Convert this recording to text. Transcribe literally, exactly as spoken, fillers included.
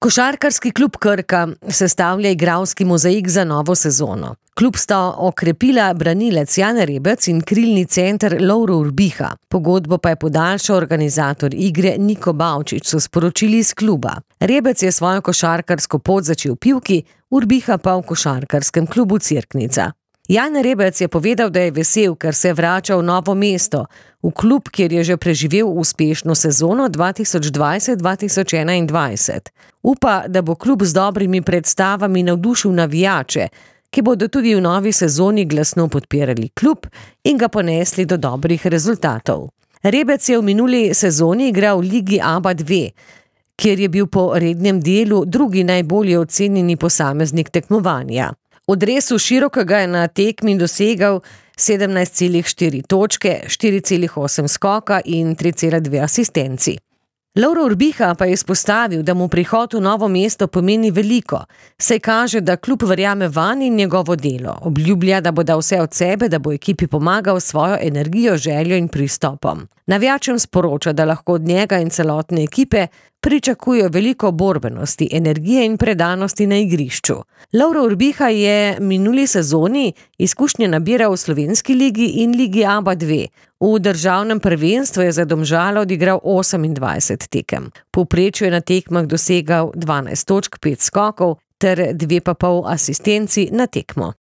Košarkarski klub Krka sestavlja igralski mozaik za novo sezono. Klub sta okrepila branilec Jan Rebec in krilni center Lovro Urbiha. Pogodbo pa je podaljšal organizator igre Niko Bavčič, so sporočili iz kluba. Rebec je svojo košarkarsko pot začel v Pivki, Urbiha pa v košarkarskem klubu Cerknica. Jan Rebec je povedal, da je vesel, ker se vrača v Novo mesto, v klub, kjer je že preživel uspešno sezono dva tisoč dvajset dva tisoč enaindvajset. Upa, da bo klub z dobrimi predstavami navdušil navijače, ki bodo tudi v novi sezoni glasno podpirali klub in ga ponesli do dobrih rezultatov. Rebec je v minuli sezoni igral v Ligi A B A dva, kjer je bil po rednem delu drugi najbolje ocenjeni posameznik tekmovanja. V dresu širokega je na tekmi dosegal sedemnajst celih štiri točke, štiri celih osem skoka in tri celih dve asistenci. Lovro Urbiha pa je izpostavil, da mu prihod v Novo mesto pomeni veliko, saj kaže, da klub verjame vanj in njegovo delo. Obljublja, da bo dal vse od sebe, da bo ekipi pomagal s svojo energijo, željo in pristopom. Navijačem sporoča, da lahko od njega in celotne ekipe pričakujejo veliko borbenosti, energije in predanosti na igrišču. Lovro Urbiha je minuli sezoni izkušnje nabiral v slovenski ligi in Ligi A B A dva. V državnem prvenstvu je za Domžale odigral osemindvajset tekem. V povprečju je na tekmah dosegal dvanajst točk, pet skokov ter dve pa pol asistenci na tekmo.